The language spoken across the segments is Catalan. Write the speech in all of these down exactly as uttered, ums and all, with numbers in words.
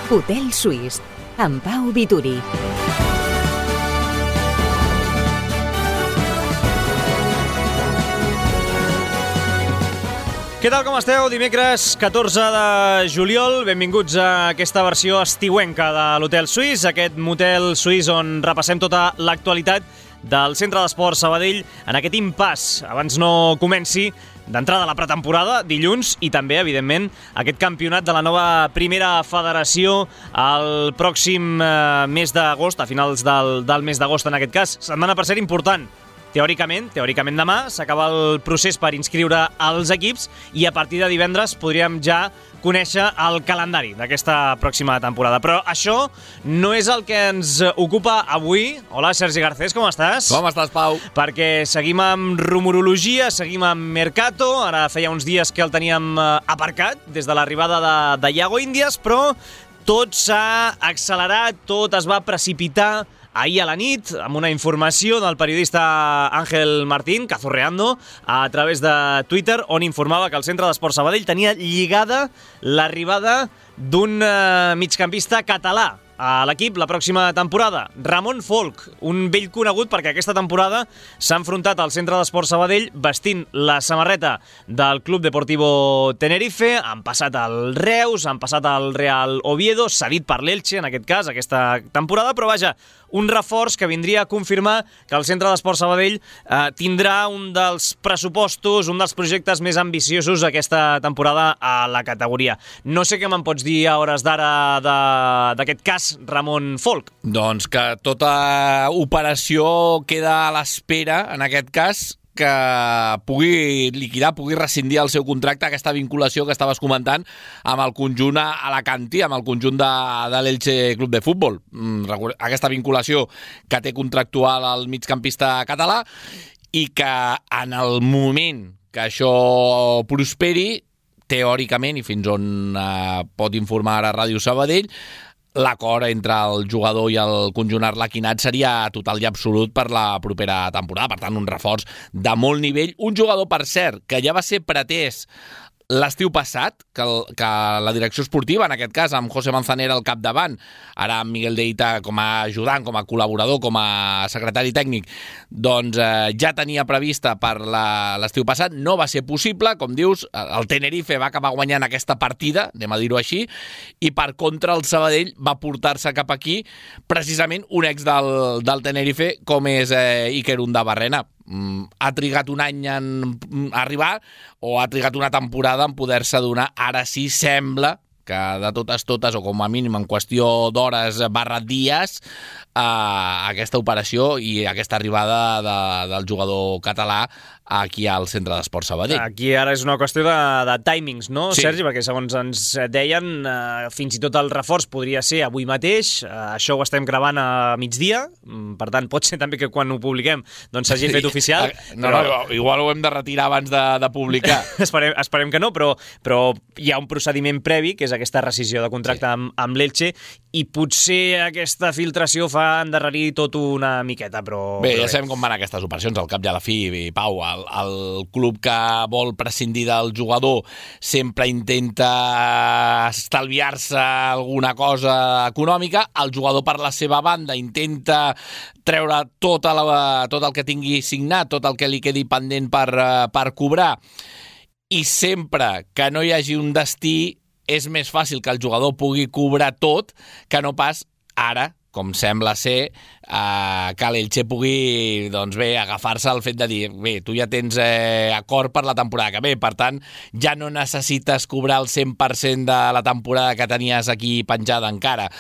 Hotel Suís, amb Pau Vituri. Què tal, com esteu? Dimecres catorze de juliol, benvinguts a aquesta versió estiuenca de l'Hotel Suís, aquest motel suís on repassem tota l'actualitat del Centre d'Esports Sabadell en aquest impàs, abans no comenci, d'entrada a la pretemporada, dilluns, i també, evidentment, aquest campionat de la nova primera federació el pròxim eh, mes d'agost, a finals del, del mes d'agost en aquest cas. Setmana, per ser, important. Teòricament, teòricament demà s'acaba el procés per inscriure els equips i a partir de divendres podríem ja conèixer el calendari d'aquesta pròxima temporada. Però això no és el que ens ocupa avui. Hola, Sergi Garcés, com estàs? Com estàs, Pau? Perquè seguim amb rumorologia, seguim amb Mercato. Ara feia uns dies que el teníem aparcat des de l'arribada de, de Iago Índies, però tot s'ha accelerat, tot es va precipitar ahir a la nit, amb una informació del periodista Ángel Martín, cazorreando, a través de Twitter, on informava que el Centre d'Esports Sabadell tenia lligada l'arribada d'un eh, migcampista català a l'equip la pròxima temporada. Ramon Folch, un vell conegut perquè aquesta temporada s'ha enfrontat al Centre d'Esports Sabadell vestint la samarreta del Club Deportivo Tenerife, han passat al Reus, han passat al Real Oviedo, cedit per l'Elche en aquest cas, aquesta temporada, però vaja, un reforç que vindria a confirmar que el Centre d'Esports Sabadell eh, tindrà un dels pressupostos, un dels projectes més ambiciosos aquesta temporada a la categoria. No sé què me'n pots dir a hores d'ara d'aquest cas, Ramon Folch. Doncs que tota operació queda a l'espera, en aquest cas, que pugui liquidar, pugui rescindir el seu contracte, aquesta vinculació que estaves comentant amb el conjunt alacantí, amb el conjunt de, de l'Elche Club de Futbol. Aquesta vinculació que té contractual el migcampista català i que en el moment que això prosperi, teòricament, i fins on eh, pot informar a Ràdio Sabadell, l'acord entre el jugador i el conjunt arlequinat seria total i absolut per la propera temporada. Per tant, un reforç de molt nivell. Un jugador, per cert, que ja va ser pretès l'estiu passat, que, el, que la direcció esportiva, en aquest cas, amb José Manzanera al capdavant, ara amb Miguel Deita com a ajudant, com a col·laborador, com a secretari tècnic, doncs eh, ja tenia prevista per l'estiu passat, no va ser possible, com dius, el Tenerife va acabar guanyant aquesta partida, anem a dir-ho així, i per contra el Sabadell va portar-se cap aquí precisament un ex del, del Tenerife com és eh, Iker Undabarrena. Ha trigat un any en arribar o ha trigat una temporada en poder-se donar. Ara sí sembla que de totes totes, o com a mínim en qüestió d'hores barra dies, eh, aquesta operació i aquesta arribada de, del jugador català aquí al Centre d'Esports Sabadell. Aquí ara és una qüestió de, de timings, no, sí. Sergi? Perquè segons ens deien, eh, fins i tot el reforç podria ser avui mateix, eh, això ho estem gravant a migdia, per tant pot ser també que quan ho publiquem doncs s'hagi fet oficial. No, però... no, igual ho hem de retirar abans de, de publicar. esperem, esperem que no, però, però hi ha un procediment previ, que és aquesta rescissió de contracte sí. amb, amb l'Elche, i potser aquesta filtració fa endarrerir tot una miqueta, però... Bé, però ja sabem com van aquestes operacions, al cap i a la fi, i Pau, el, el club que vol prescindir del jugador sempre intenta estalviar-se alguna cosa econòmica, el jugador per la seva banda intenta treure tota la, tot el que tingui signat, tot el que li quedi pendent per, per cobrar, i sempre que no hi hagi un destí és més fàcil que el jugador pugui cobrar tot que no pas ara, com sembla ser, eh, que l'Elche pugui, doncs bé, agafar-se al fet de dir, bé, tu ja tens eh, acord per la temporada que ve, per tant, ja no necessites cobrar el cent per cent de la temporada que tenies aquí penjada encara.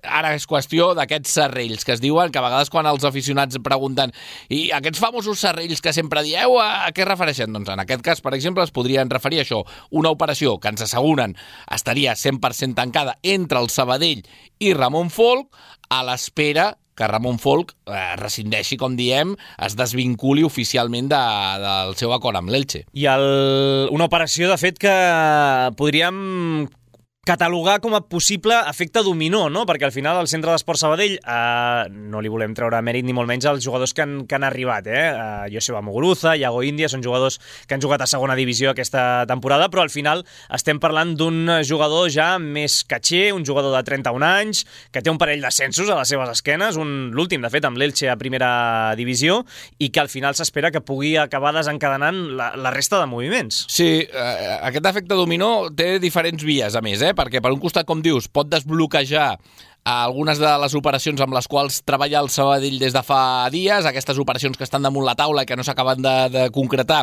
Ara és qüestió d'aquests serrells que es diuen, que a vegades quan els aficionats pregunten i aquests famosos serrells que sempre dieu, a què es refereixen? Doncs en aquest cas, per exemple, es podrien referir a això, una operació que ens asseguren estaria cent per cent tancada entre el Sabadell i Ramon Folch, a l'espera que Ramon Folch eh, rescindeixi, com diem, es desvinculi oficialment de, del seu acord amb l'Elche. I el, una operació, de fet, que podríem catalogar com a possible efecte dominó, no? Perquè al final el Centre d'Esport Sabadell eh, no li volem treure mèrit ni molt menys als jugadors que han, que han arribat, eh? Uh, Joseba Muguruza, Iago Índia, són jugadors que han jugat a segona divisió aquesta temporada, però al final estem parlant d'un jugador ja més catxer, un jugador de trenta-un anys, que té un parell d'ascensos a les seves esquenes, un l'últim, de fet, amb l'Elche a primera divisió, i que al final s'espera que pugui acabar desencadenant la, la resta de moviments. Sí, eh, aquest efecte dominó té diferents vies, a més, eh? Perquè per un costat, com dius, pot desbloquejar algunes de les operacions amb les quals treballa el Sabadell des de fa dies, aquestes operacions que estan damunt la taula i que no s'acaben de, de concretar,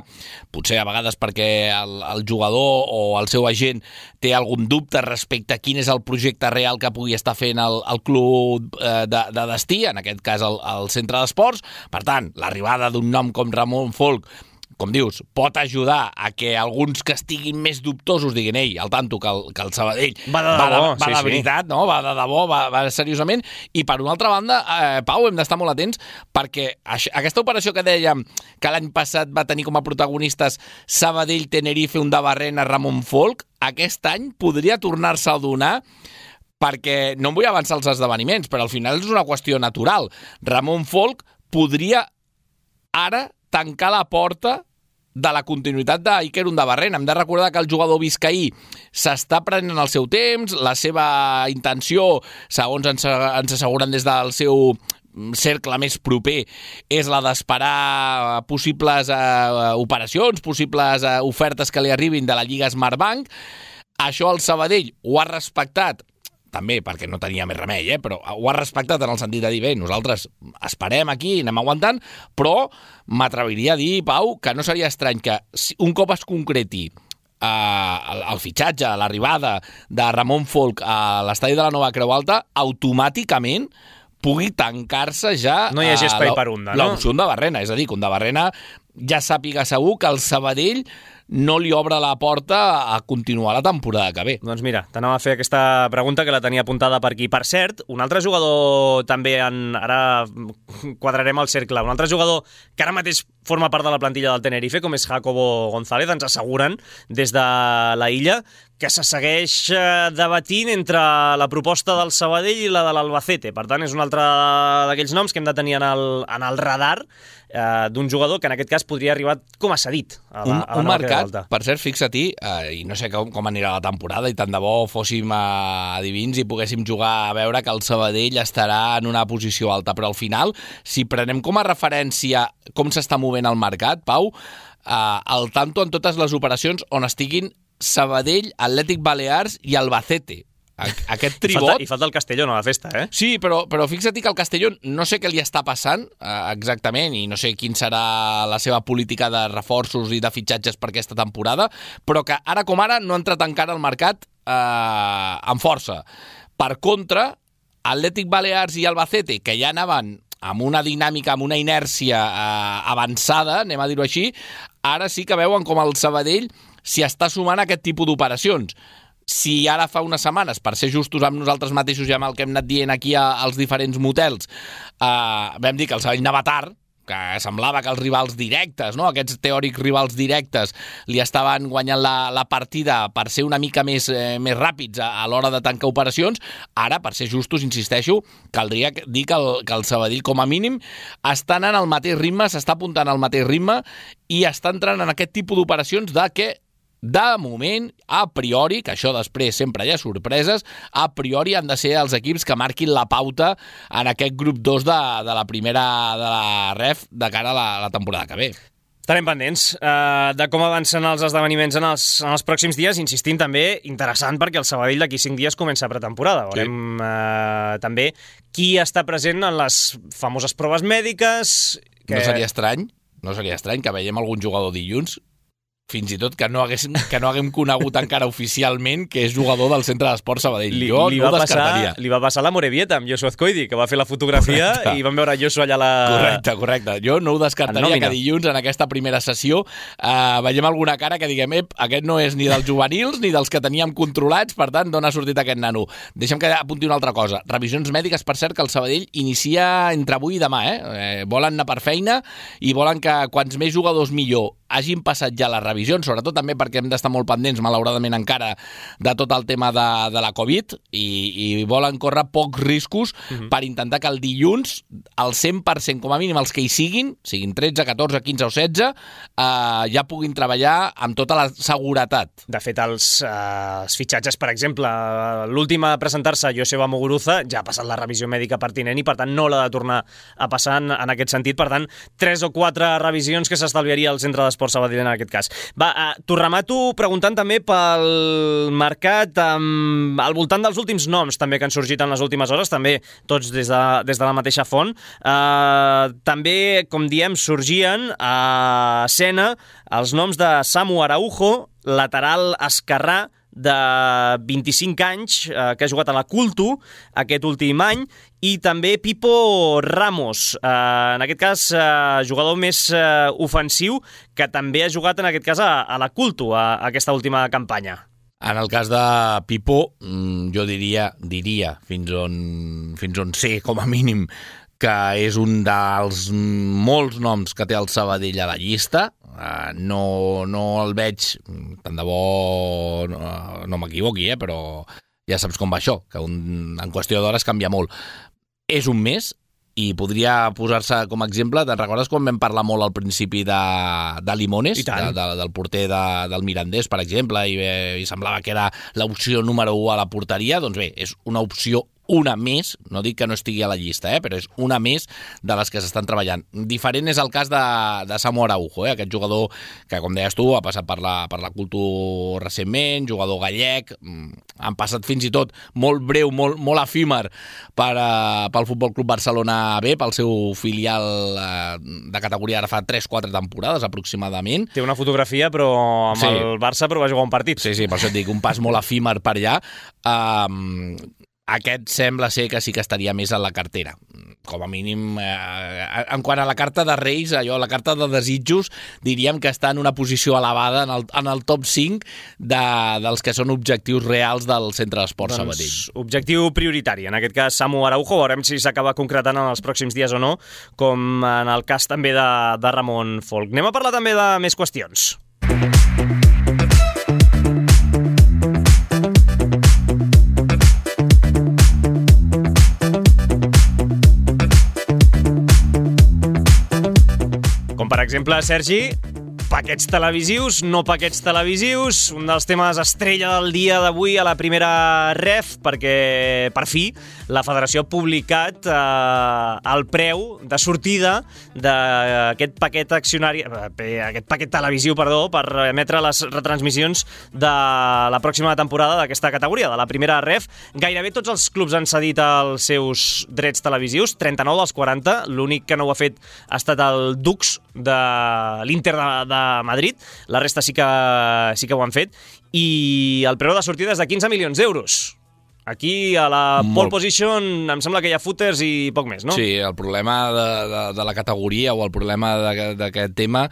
potser a vegades perquè el, el jugador o el seu agent té algun dubte respecte a quin és el projecte real que pugui estar fent el, el club eh, de, de destí, en aquest cas el, el centre d'esports. Per tant, l'arribada d'un nom com Ramon Folk, com dius, pot ajudar a que alguns que estiguin més dubtosos diguin, ei, al tanto, que el, que el Sabadell va de, va de, va sí, de veritat, sí. No? Va de debò, va, va seriosament. I per una altra banda, eh, Pau, hem d'estar molt atents perquè això, aquesta operació que dèiem que l'any passat va tenir com a protagonistes Sabadell, Tenerife, Undabarrena, Ramon Folk, aquest any podria tornar-se a donar perquè no em vull avançar els esdeveniments, però al final és una qüestió natural. Ramon Folk podria ara tancar la porta de la continuïtat d'Iker Undabarrena. Hem de recordar que el jugador biscaí s'està prenent el seu temps, la seva intenció, segons ens, ens asseguren des del seu cercle més proper, és la d'esperar possibles eh, operacions, possibles eh, ofertes que li arribin de la Lliga Smartbank. Això el Sabadell ho ha respectat, també perquè no tenia més remei, eh? Però ho ha respectat en el sentit de dir, bé, nosaltres esperem aquí, anem aguantant, però m'atreviria a dir, Pau, que no seria estrany que un cop es concreti eh, el, el fitxatge, l'arribada de Ramon Folk a l'estadi de la Nova Creu Alta, automàticament pugui tancar-se ja no hi hagi espai per Unda, no? L'opció Undabarrena, és a dir, que Undabarrena ja sàpiga segur que el Sabadell no li obre la porta a continuar la temporada que ve. Doncs mira, t'anava a fer aquesta pregunta que la tenia apuntada per aquí. Per cert, un altre jugador també, en, ara quadrarem el cercle, un altre jugador que ara mateix forma part de la plantilla del Tenerife, com és Jacobo González, ens asseguren des de la illa que se segueix debatint entre la proposta del Sabadell i la de l'Albacete. Per tant, és un altre d'aquells noms que hem de tenir en el, en el radar eh, d'un jugador que en aquest cas podria arribar com a cedit a la, un, a la un mercat, Alta. Per cert, fixa-t'hi, eh, i no sé com, com anirà la temporada, i tant de bo fóssim eh, adivins i poguéssim jugar a veure que el Sabadell estarà en una posició alta, però al final, si prenem com a referència com s'està movent el mercat, Pau, eh, al tanto en totes les operacions on estiguin Sabadell, Atlètic Balears i Albacete. Aquest tribot... I falta, i falta el Castellón a la festa, eh? Sí, però, però fixa't que el Castellón no sé què li està passant eh, exactament i no sé quin serà la seva política de reforços i de fitxatges per aquesta temporada, però que ara com ara no ha entrat encara al mercat eh, amb força. Per contra, Atlètic Balears i Albacete, que ja anaven amb una dinàmica, amb una inèrcia eh, avançada, anem a dir-ho així, ara sí que veuen com el Sabadell s'hi està sumant a aquest tipus d'operacions. Si ara fa unes setmanes, per ser justos amb nosaltres mateixos i amb el que hem anat dient aquí als diferents motels, eh, vam dir que el Sabadell anava tard, que semblava que els rivals directes, no? Aquests teòrics rivals directes, li estaven guanyant la, la partida per ser una mica més, eh, més ràpids a, a l'hora de tancar operacions. Ara, per ser justos, insisteixo, caldria dir que el, que el Sabadell, com a mínim, està anant al mateix ritme, s'està apuntant al mateix ritme i està entrant en aquest tipus d'operacions de que de moment, a priori, que això després sempre hi ha sorpreses, a priori han de ser els equips que marquin la pauta en aquest grup dos de, de la primera de la ref de cara a la, a la temporada que ve. Estarem pendents eh, de com avancen els esdeveniments en els, en els pròxims dies, insistint també, interessant perquè el Sabadell d'aquí cinc dies comença pretemporada. Veurem sí. eh, també qui està present en les famoses proves mèdiques. Que... No seria estrany, no seria estrany que veiem algun jugador dilluns, fins i tot que no, hagués, que no haguem conegut encara oficialment que és jugador del Centre d'Esport Sabadell. Li, jo li no ho va descartaria. Passar, li va passar la Morevieta amb Joshua Azcoidi, que va fer la fotografia correcte. I van veure Joshua allà la... Correcte, correcte. Jo no ho descartaria que dilluns en aquesta primera sessió eh, veiem alguna cara que diguem ep, aquest no és ni dels juvenils ni dels que teníem controlats, per tant, d'on ha sortit aquest nano? Deixem que apunti una altra cosa. Revisions mèdiques, per cert, que el Sabadell inicia entre avui i demà. Eh? Eh, volen anar per feina i volen que quants més jugadors millor. hagin passat ja les revisions, sobretot també perquè hem d'estar molt pendents, malauradament encara, de tot el tema de, de la Covid, i, i volen córrer pocs riscos uh-huh. per intentar que el dilluns, el cent per cent, com a mínim els que hi siguin, siguin tretze, catorze, quinze o setze, eh, ja puguin treballar amb tota la seguretat. De fet, els, eh, els fitxatges, per exemple, l'últim a presentar-se, Joseba Muguruza, ja ha passat la revisió mèdica pertinent i, per tant, no l'ha de tornar a passar en, en aquest sentit. Per tant, tres o quatre revisions que s'estalviaria el centre d'Esport Sabadell en aquest cas. Va, eh, t'ho remato preguntant també pel mercat, um, al voltant dels últims noms també que han sorgit en les últimes hores, també tots des de, des de la mateixa font. Uh, també, com diem, sorgien a escena els noms de Samu Araujo, lateral esquerrà, de vint-i-cinc anys, eh, que ha jugat a la Culto aquest últim any, i també Pipo Ramos, eh, en aquest cas eh, jugador més eh, ofensiu, que també ha jugat en aquest cas a, a la Culto, a, a aquesta última campanya. En el cas de Pipo, jo diria, diria fins on, fins on sé, com a mínim, que és un dels molts noms que té el Sabadell a la llista. Uh, no, no el veig, tant de bo no, no m'equivoqui, eh, però ja saps com va això, que un, en qüestió d'hores canvia molt. És un mes i podria posar-se com a exemple, te'n recordes quan vam parlar molt al principi de, de Limones, de, de, del porter de, del Mirandés, per exemple, i, i semblava que era l'opció número u a la porteria? Doncs bé, és una opció una més, no dic que no estigui a la llista, eh, però és una més de les que s'estan treballant. Diferent és el cas de, de Samu Araujo, eh, aquest jugador que, com deies tu, ha passat per la, per la Culto recentment, jugador gallec, han passat fins i tot molt breu, molt, molt efímer per, uh, pel Futbol Club Barcelona B, pel seu filial uh, de categoria ara fa tres quatre temporades aproximadament. Té una fotografia, però amb sí. el Barça, però va jugar un partit. Sí, sí, per això et dic, un pas molt efímer per allà. Um, Aquest sembla ser que sí que estaria més a la cartera. Com a mínim, eh, en quant a la carta de Reis, allò, la carta de desitjos, diríem que està en una posició elevada en el, en el top cinc de, dels que són objectius reals del Centre d'Esport doncs, Sabadell. Objectiu prioritari, en aquest cas Samu Araujo, veurem si s'acaba concretant en els pròxims dies o no, com en el cas també de, de Ramon Folch. Anem a parlar també de més qüestions. Com per exemple, Sergi, paquets televisius, no paquets televisius, un dels temes estrella del dia d'avui a la primera ref, perquè per fi la Federació ha publicat eh, el preu de sortida d'aquest paquet accionari, eh, aquest paquet televisiu, perdó, per emetre les retransmissions de la pròxima temporada d'aquesta categoria, de la primera ref. Gairebé tots els clubs han cedit els seus drets televisius, trenta-nou dels quaranta, l'únic que no ho ha fet ha estat el Dux de l'Inter de, de Madrid, la resta sí que, sí que ho han fet, i el preu de sortida és de quinze milions d'euros. Aquí, a la Molt. pole position, em sembla que hi ha footers i poc més, no? Sí, el problema de, de, de la categoria o el problema d'aquest tema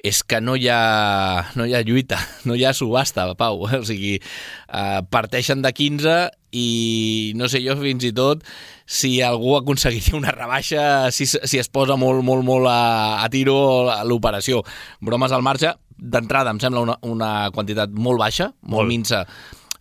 és que no hi ha, no hi ha lluita, no hi ha subhasta, Pau. O sigui, eh, parteixen de quinze i no sé jo fins i tot si algú aconseguiria una rebaixa, si, si es posa molt, molt, molt a, a tiro a l'operació. Bromes al marge, d'entrada em sembla una, una quantitat molt baixa, molt, molt minsa,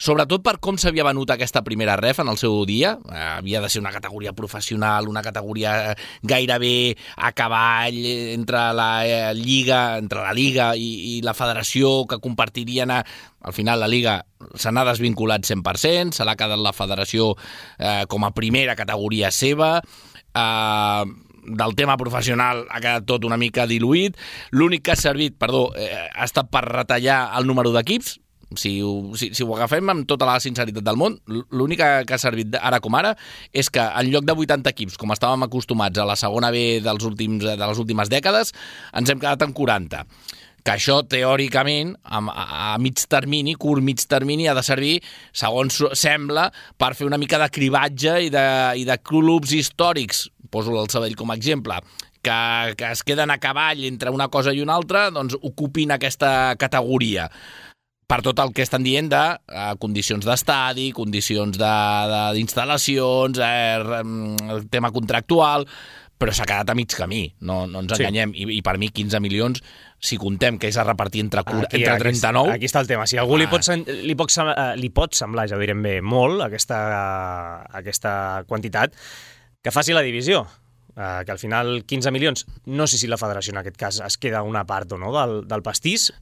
sobretot per com s'havia venut aquesta primera ref en el seu dia. Eh, havia de ser una categoria professional, una categoria gairebé a cavall entre la eh, Lliga entre la Lliga i, i la Federació, que compartirien a... Al final la Lliga se n'ha desvinculat cent per cent, se l'ha quedat la Federació eh, com a primera categoria seva, eh, del tema professional ha quedat tot una mica diluït. L'únic que ha servit, perdó, eh, ha estat per retallar el número d'equips. Si ho, si, si ho agafem amb tota la sinceritat del món, l'únic que ha servit ara com ara és que en lloc de vuitanta equips, com estàvem acostumats a la segona B dels últims, de les últimes dècades, ens hem quedat en quaranta. Que això, teòricament, a, a mig termini, curt mig termini, ha de servir, segons sembla, per fer una mica de cribatge i de, i de clubs històrics, poso el Sabadell com a exemple, que, que es queden a cavall entre una cosa i una altra, doncs ocupin aquesta categoria. Per tot el que estan dient de eh, condicions d'estadi, condicions de, de, d'instal·lacions, eh, tema contractual, però s'ha quedat a mig camí, no, no ens enganyem, sí. I, i per mi quinze milions, si contem que és a repartir entre, aquí, entre trenta-nou... Aquí, aquí està el tema, si a algú ah. li, pot, li, pot, li pot semblar, ja ho direm bé, molt, aquesta, aquesta quantitat, que faci la divisió, uh, que al final quinze milions, no sé si la federació en aquest cas es queda una part o no del, del pastís,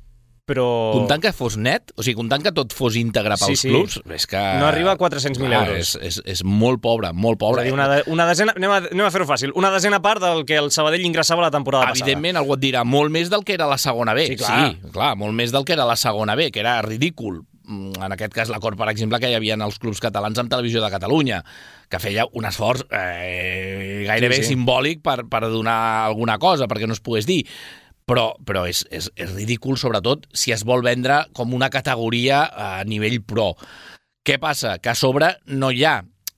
però... Comptant que fos net, o sigui, comptant que tot fos íntegre pels sí, sí. clubs, és que... No arriba a quatre-cents mil euros. És, és, és molt pobre, molt pobre. És a dir, una, de, una desena, anem a, anem a fer-ho fàcil, una desena part del que el Sabadell ingressava la temporada Evidentment, passada. Evidentment, algú et dirà, molt més del que era la segona B. Sí, clar. Sí, clar, molt més del que era la segona B, que era ridícul. En aquest cas, l'acord, per exemple, que hi havia en els clubs catalans amb Televisió de Catalunya, que feia un esforç eh, gairebé sí, sí. simbòlic per, per donar alguna cosa, perquè no es pogués dir. Però, però és, és, és ridícul, sobretot, si es vol vendre com una categoria a nivell pro. Què passa? Que a sobre no hi ha,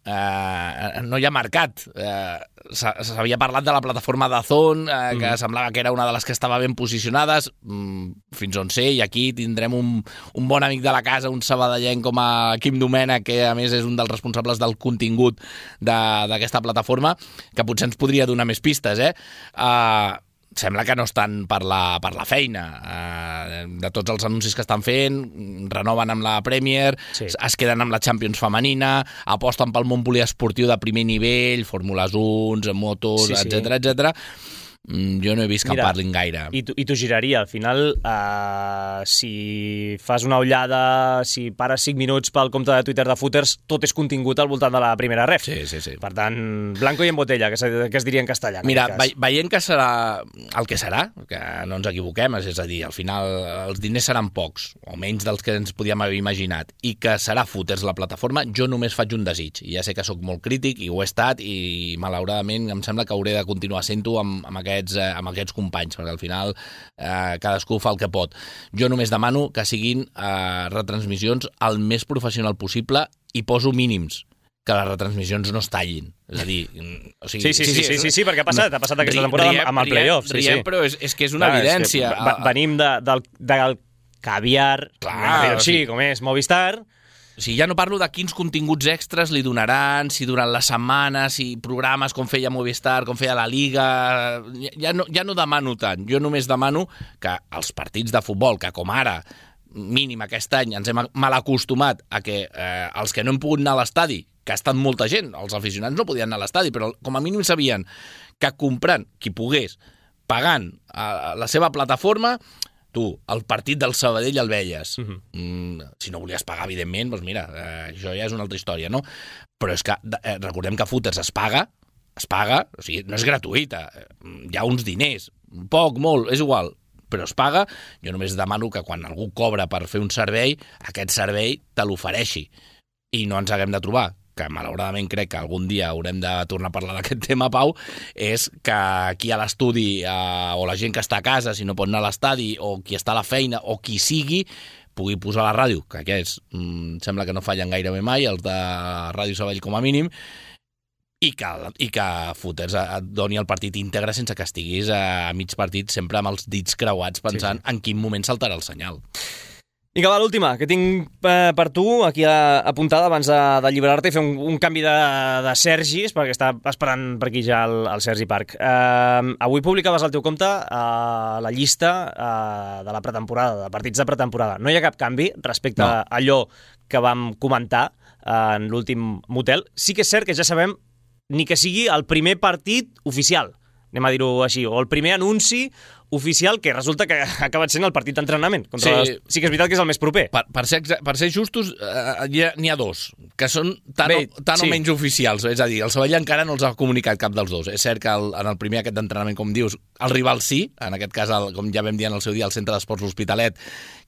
eh, no hi ha mercat. Eh, S'havia parlat de la plataforma d'Azón, eh, que mm. semblava que era una de les que estava ben posicionades, mm, fins on sé, i aquí tindrem un, un bon amic de la casa, un sabadellenc com a Quim Domènech, que a més és un dels responsables del contingut d'aquesta plataforma, que potser ens podria donar més pistes, eh? Uh, Sembla que no estan per la, per la feina. Eh, de tots els anuncis que estan fent, renoven amb la Premier, sí. es queden amb la Champions femenina, aposten pel món poliesportiu de primer nivell, Fórmules un, motos, sí, etcètera, sí. etcètera. Jo no he vist que Mira, en parlin gaire. I tu, i tu giraria, al final, uh, si fas una ullada, si pares cinc minuts pel compte de Twitter de Footers, tot és contingut al voltant de la primera ref. Sí, sí, sí. Per tant, blanco i en botella, que, que es diria en castellà. En Mira, ve, veient que serà el que serà, que no ens equivoquem, és a dir, al final els diners seran pocs, o menys dels que ens podíem haver imaginat, i que serà Footers la plataforma, jo només faig un desig. Ja sé que sóc molt crític, i ho he estat, i malauradament em sembla que hauré de continuar sent-ho amb, amb aquest Aquests, eh, amb aquests companys, perquè al final eh, cadascú fa el que pot. Jo només demano que siguin eh, retransmissions el més professional possible i poso mínims, que les retransmissions no es tallin. És a dir... O sigui, sí, sí, sí, sí, sí, sí, sí, perquè ha passat, ha passat aquesta temporada riem, amb el play-off. Sí, riem, sí. Però és, és que és una Clar, evidència. És que venim de, del, del caviar, Clar, així, sí. com és Movistar... O sigui, ja no parlo de quins continguts extras li donaran, si durant la setmana, si programes com feia Movistar, com feia la Liga... Ja no, ja no demano tant. Jo només demano que els partits de futbol, que com ara, mínim aquest any, ens hem mal acostumat a que eh, els que no hem pogut anar a l'estadi, que ha estat molta gent, els aficionats no podien anar a l'estadi, però com a mínim sabien que comprant, qui pogués, pagant a la seva plataforma... Tu, el partit del Sabadell el veies. Uh-huh. mm, si no volies pagar, evidentment, doncs mira, eh, això ja és una altra història, no? Però és que eh, recordem que Footers es paga, es paga, o sigui, no és gratuïta, hi ha uns diners, poc, molt, és igual, però es paga. Jo només demano que quan algú cobra per fer un servei, aquest servei te l'ofereixi i no ens haguem de trobar, que malauradament crec que algun dia haurem de tornar a parlar d'aquest tema, Pau, és que aquí a l'estudi, eh, o la gent que està a casa, si no pot anar a l'estadi, o qui està a la feina, o qui sigui, pugui posar la ràdio, que aquests mm, sembla que no fallen gairebé mai, els de Ràdio Sabadell com a mínim, i que, i que Footers et doni el partit íntegre sense que estiguis a mig partit sempre amb els dits creuats pensant sí, sí. en quin moment saltarà el senyal. I que va, l'última, que tinc eh, per tu aquí a, apuntada abans de, d'alliberar-te i fer un, un canvi de, de Sergis, perquè està esperant per aquí ja el, el Sergi Parc. Eh, avui publicaves al teu compte eh, la llista eh, de la pretemporada, de partits de pretemporada. No hi ha cap canvi respecte no. a allò que vam comentar eh, en l'últim motel. Sí que és cert que ja sabem ni que sigui el primer partit oficial, anem a dir-ho així, o el primer anunci oficial, que resulta que ha acabat sent el partit d'entrenament. Sí. Les... sí que és veritat que és el més proper. Per, per, ser, per ser justos, eh, n'hi ha dos, que són tan, Bé, o, tan sí. o menys oficials. És a dir, el Sabadell encara no els ha comunicat cap dels dos. És cert que el, en el primer aquest d'entrenament, com dius, el rival sí, en aquest cas, el, com ja vam dir en el seu dia, el Centre d'Esports L'Hospitalet,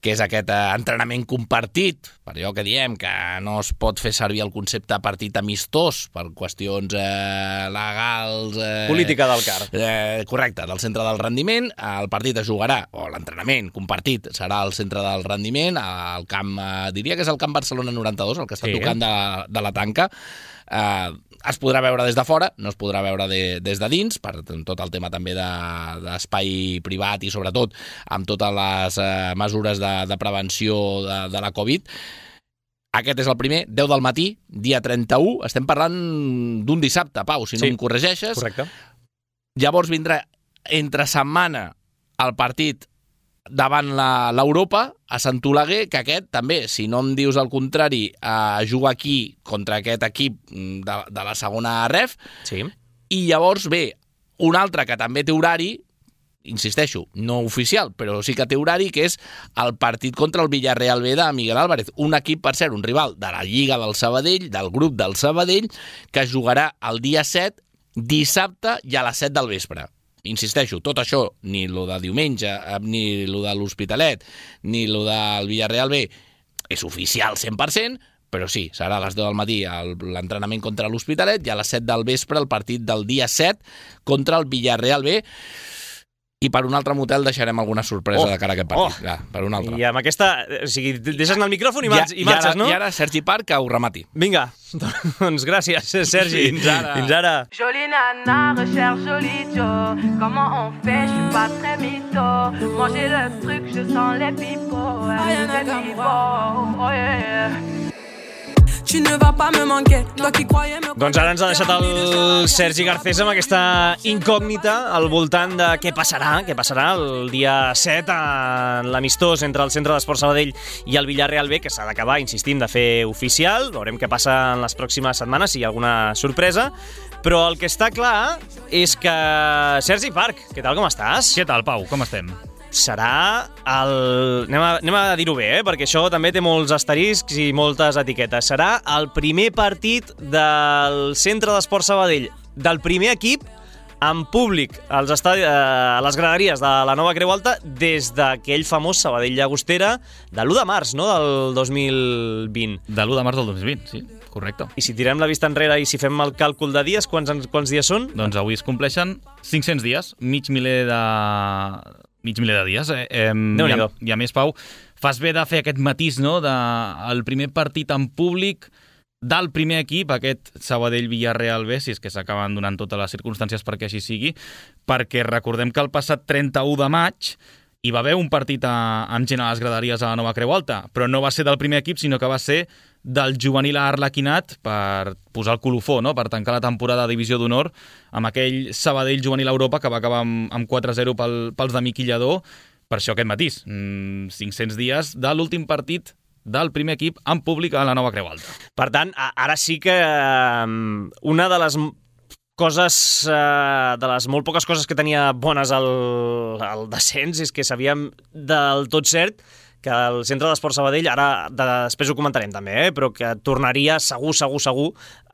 que és aquest eh, entrenament compartit, per allò que diem, que no es pot fer servir el concepte partit amistós per qüestions eh, legals... Eh, política del car. Eh, correcte, del centre del rendiment. El partit es jugarà, o l'entrenament compartit serà al centre del rendiment, al camp, eh, diria que és el camp Barcelona noranta-dos, el que està sí. tocant de, de la tanca. Eh, es podrà veure des de fora, no es podrà veure de, des de dins, per tot el tema també de, d'espai privat i sobretot amb totes les eh, mesures de, de prevenció de, de la Covid. Aquest és el primer, deu del matí, dia trenta-u, estem parlant d'un dissabte, Pau, si no sí. em corregeixes. Correcte. Llavors vindrà entre setmana el partit davant l'Europa, a Sant Oleguer, que aquest també, si no em dius el contrari, eh, juga aquí contra aquest equip de, de la segona ref, sí. I llavors ve un altre que també té horari, insisteixo, no oficial, però sí que té horari, que és el partit contra el Villarreal B de Miguel Álvarez, un equip, per cert, un rival de la Lliga del Sabadell, del grup del Sabadell, que jugarà el dia set, dissabte i a les set del vespre. Insisteixo, tot això, ni lo de diumenge, ni lo de l'Hospitalet, ni lo del Villarreal B, és oficial cent per cent, però sí, serà a les deu del matí l'entrenament contra l'Hospitalet i a les set del vespre el partit del dia set contra el Villarreal B. I per un altre motel deixarem alguna sorpresa oh, de cara a aquest partit. Oh. Ja, per un altre. I amb aquesta... O sigui, deixes anar el micròfon i, ja, i marxes, ara, no? I ara Sergi Parc que ho remati. Vinga, doncs gràcies, Sergi. Fins ara. Fins ara. Jolie nana, recherche jolie Joe. Comment on fait, je suis pas très mytho. Manger le truc, je sens les pipots. Les pipots, oh yeah. Tu ne vas pas me manquer, toi qui croyais me... Doncs ara ens ha deixat el Sergi Garcés amb aquesta incògnita al voltant de què passarà, què passarà el dia set a l'amistós entre el Centre d'Esport Sabadell i el Villarreal B, que s'ha d'acabar, insistim, de fer oficial. Veurem què passa en les pròximes setmanes, si hi ha alguna sorpresa. Però el que està clar és que... Sergi Parc, què tal, com estàs? Què tal, Pau, com estem? Serà el... Anem a, anem a dir-ho bé, eh? Perquè això també té molts asteriscs i moltes etiquetes. Serà el primer partit del Centre d'Esport Sabadell, del primer equip en públic als estadi... a les graderies de la Nova Creu Alta des d'aquell famós Sabadell Llagostera de l'u de març, no?, del dos mil vint. De l'u de març del dos mil vint, sí, correcte. I si tirem la vista enrere i si fem el càlcul de dies, quants, quants dies són? Doncs avui es compleixen cinc-cents dies, mig miler de... mig miler de dies. Eh? Eh, i, a, I a més, Pau, fas bé de fer aquest matís, no?, de el primer partit en públic del primer equip, aquest Sabadell-Villarreal B, si és que s'acaben donant totes les circumstàncies perquè així sigui, perquè recordem que el passat trenta-u de maig hi va haver un partit a, amb gent a les graderies a la Nova Creu Alta, però no va ser del primer equip, sinó que va ser del juvenil Arlequinat per posar el colofó, no?, per tancar la temporada de Divisió d'Honor amb aquell Sabadell juvenil a Europa que va acabar amb, amb quatre a zero pel, pels de Miqui Lladó. Per això aquest matís, cinc-cents dies de l'últim partit del primer equip en públic a la Nova Creu Alta. Per tant, ara sí que una de les coses, de les molt poques coses que tenia bones al, al descens és que sabíem del tot cert que el Centre d'Esport Sabadell, ara després ho comentarem també, eh, però que tornaria segur, segur, segur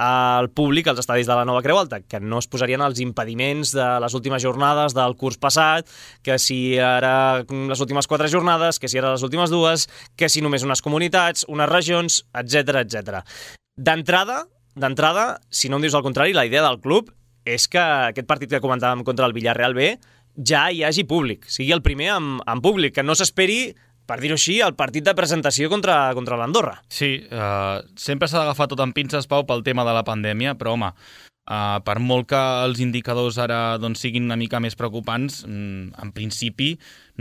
al públic als estadis de la Nova Creu Alta, que no es posarien els impediments de les últimes jornades del curs passat, que si ara les últimes quatre jornades, que si ara les últimes dues, que si només unes comunitats, unes regions, etcètera, etcètera. D'entrada, d'entrada, si no em dius el contrari, la idea del club és que aquest partit que comentàvem contra el Villarreal B ja hi hagi públic, sigui el primer en, en públic, que no s'esperi, per dir-ho així, el partit de presentació contra, contra l'Andorra. Sí, uh, sempre s'ha d'agafar tot amb pinces, Pau, pel tema de la pandèmia, però, home, uh, per molt que els indicadors ara doncs, siguin una mica més preocupants, mm, en principi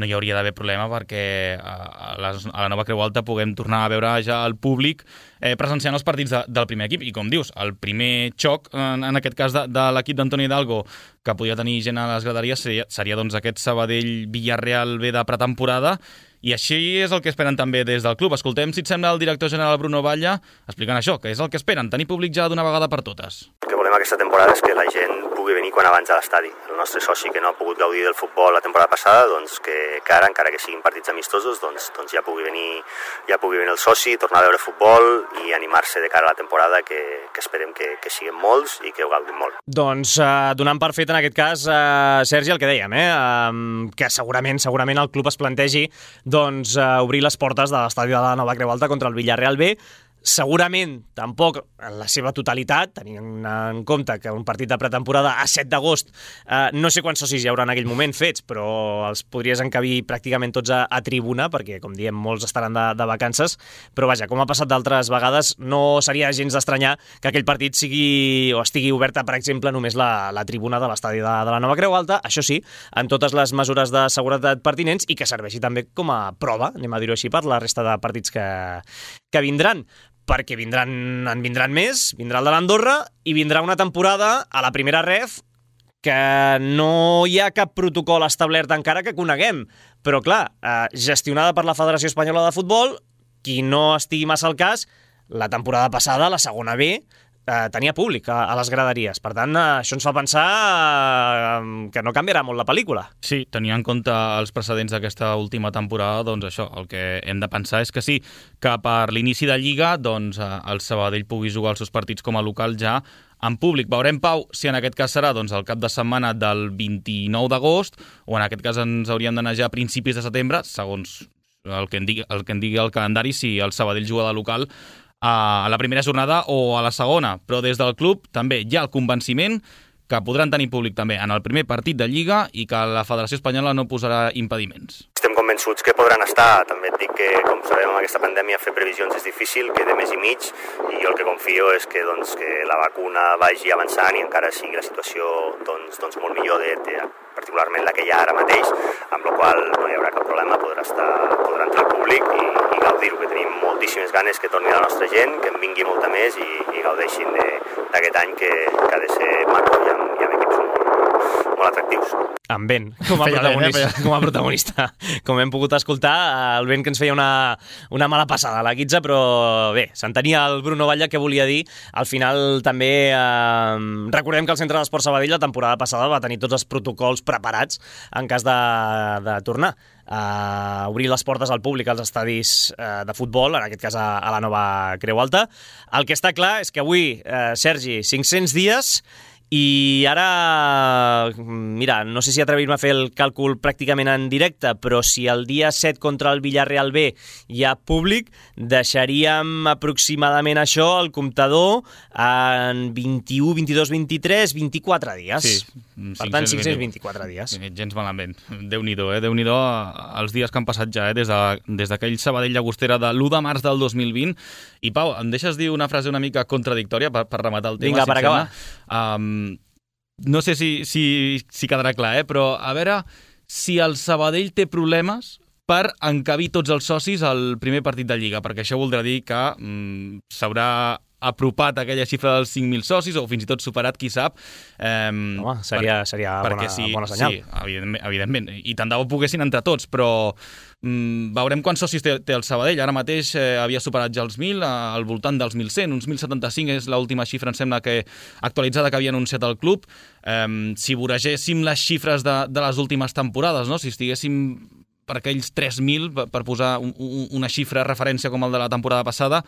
no hi hauria d'haver problema perquè uh, a, les, a la Nova Creu Alta puguem tornar a veure ja el públic eh, presenciant els partits de, del primer equip. I com dius, el primer xoc, en, en aquest cas de, de l'equip d'Antoni Hidalgo, que podia tenir gent a les graderies, seria, seria doncs, aquest Sabadell-Villarreal B de pretemporada. I així és el que esperen també des del club. Escoltem, si et sembla, el director general Bruno Batlle explicant això, que és el que esperen, tenir públic ja d'una vegada per totes. El que volem aquesta temporada és que la gent pugui venir quan abans a l'estadi. El nostre soci que no ha pogut gaudir del futbol la temporada passada, doncs que, que ara, encara que siguin partits amistosos, doncs, doncs ja pugui venir ja pugui venir el soci, tornar a veure futbol i animar-se de cara a la temporada, que, que esperem que, que siguin molts i que ho gaudim molt. Doncs eh, donant per fet en aquest cas, eh, Sergi, el que dèiem, eh, eh, que segurament segurament el club es plantegi doncs, eh, obrir les portes de l'estadi de la Nova Creu Alta contra el Villarreal B. Segurament, tampoc en la seva totalitat, tenint en compte que un partit de pretemporada a set d'agost, eh, no sé quants socis hi haurà en aquell moment fets, però els podries encabir pràcticament tots a, a tribuna, perquè, com diem, molts estaran de, de vacances, però vaja, com ha passat d'altres vegades, no seria gens d'estranyar que aquell partit sigui o estigui oberta, per exemple, només la, la tribuna de l'estadi de, de la Nova Creu Alta, això sí, amb totes les mesures de seguretat pertinents i que serveixi també com a prova, anem a dir-ho així, per la resta de partits que, que vindran. Perquè vindran, en vindran més, vindrà el de l'Andorra i vindrà una temporada a la primera ref que no hi ha cap protocol establert encara que coneguem. Però, clar, eh, gestionada per la Federació Espanyola de Futbol, qui no estigui massa al cas, la temporada passada, la segona B, eh, tenia públic a, a les graderies. Per tant, eh, això ens fa pensar eh, que no canviarà molt la pel·lícula. Sí, tenint en compte els precedents d'aquesta última temporada, doncs això, el que hem de pensar és que sí, que per l'inici de Lliga, doncs el Sabadell pugui jugar els seus partits com a local ja en públic. Veurem, Pau, si en aquest cas serà doncs, el cap de setmana del vint-i-nou d'agost o en aquest cas ens hauríem d'anar ja a principis de setembre, segons el que en digui el, que en digui el calendari, si el Sabadell juga de local a la primera jornada o a la segona. Però des del club també hi ha el convenciment que podran tenir públic també en el primer partit de Lliga i que la Federació Espanyola no posarà impediments. Estem convençuts que podran estar. També et dic que, com sabem, amb aquesta pandèmia fer previsions és difícil, queda mes i mig, i jo el que confio és que, doncs, que la vacuna vagi avançant i encara sigui la situació doncs, doncs molt millor, de, de, particularment la que hi ha ara mateix, amb la qual no hi haurà cap problema, podrà, estar, podrà entrar al públic i, i gaudir-ho, que tenim moltíssimes ganes que torni la nostra gent, que en vingui molta més i, i gaudeixin d'aquest any que, que ha de ser maco i amb, i amb equips molt, molt atractius. Amb vent, com a, protagonista, eh, com a protagonista. Com hem pogut escoltar, el vent que ens feia una, una mala passada a la Quitza, però bé, s'entenia el Bruno Batlle que volia dir. Al final també eh, recordem que el Centre d'Esport Sabadell la temporada passada va tenir tots els protocols preparats en cas de, de tornar a obrir les portes al públic als estadis eh, de futbol, en aquest cas a, a la nova Creu Alta. El que està clar és que avui, eh, Sergi, cinc-cents dies. I ara, mira, no sé si atrevir-me a fer el càlcul pràcticament en directe, però si el dia set contra el Villarreal B hi ha públic, deixaríem aproximadament això, el comptador, en vint-i-u, vint-i-dos, vint-i-tres, vint-i-quatre dies. Sí, per tant, cinc-cents vint-i-quatre dies. Gens malament. Déu-n'hi-do, eh? Déu-n'hi-do els dies que han passat ja, eh? Des d'aquell de, Sabadell Llagostera de l'u de març del dos mil vint. I, Pau, em deixes dir una frase una mica contradictòria per, per rematar el tema? Vinga, per acabar. Um, no sé si, si, si quedarà clar, eh? Però a veure si el Sabadell té problemes per encabir tots els socis al primer partit de Lliga, perquè això voldrà dir que mm, s'haurà apropat aquella xifra dels cinc mil socis o fins i tot superat, qui sap. Eh, Home, seria, per, seria bona, sí, bona senyal. Sí, evidentment, evidentment. I tant de bo poguessin entre tots, però mm, veurem quants socis té, té el Sabadell. Ara mateix eh, havia superat ja els mil, al voltant dels mil cent, uns mil setanta-cinc és l'última xifra, em sembla, que actualitzada que havia anunciat el club. Eh, si voregéssim les xifres de, de les últimes temporades, no? Si estiguéssim per aquells tres mil, per posar un, un, una xifra de referència com el de la temporada passada,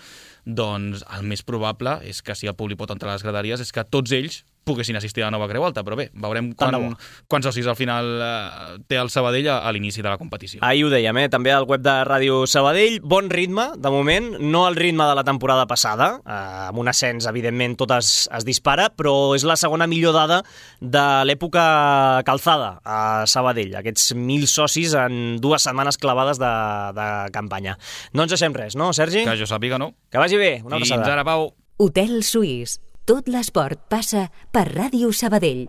doncs el més probable és que si el públic pot entrar a les graderies és que tots ells poguessin assistir a la nova Creu Alta, però bé, veurem quan, quants socis al final eh, té el Sabadell a, a l'inici de la competició. Ahir ho dèiem, eh? També al web de Ràdio Sabadell, bon ritme, de moment, no el ritme de la temporada passada, eh, amb un ascens, evidentment, tot es, es dispara, però és la segona millor dada de l'època calzada a Sabadell, aquests mil socis en dues setmanes clavades de, de campanya. No ens deixem res, no, Sergi? Que jo sàpiga, no. Que vagi bé, una abraçada. Fins ara, Pau. Hotel Suís. Tot l'esport passa per Ràdio Sabadell.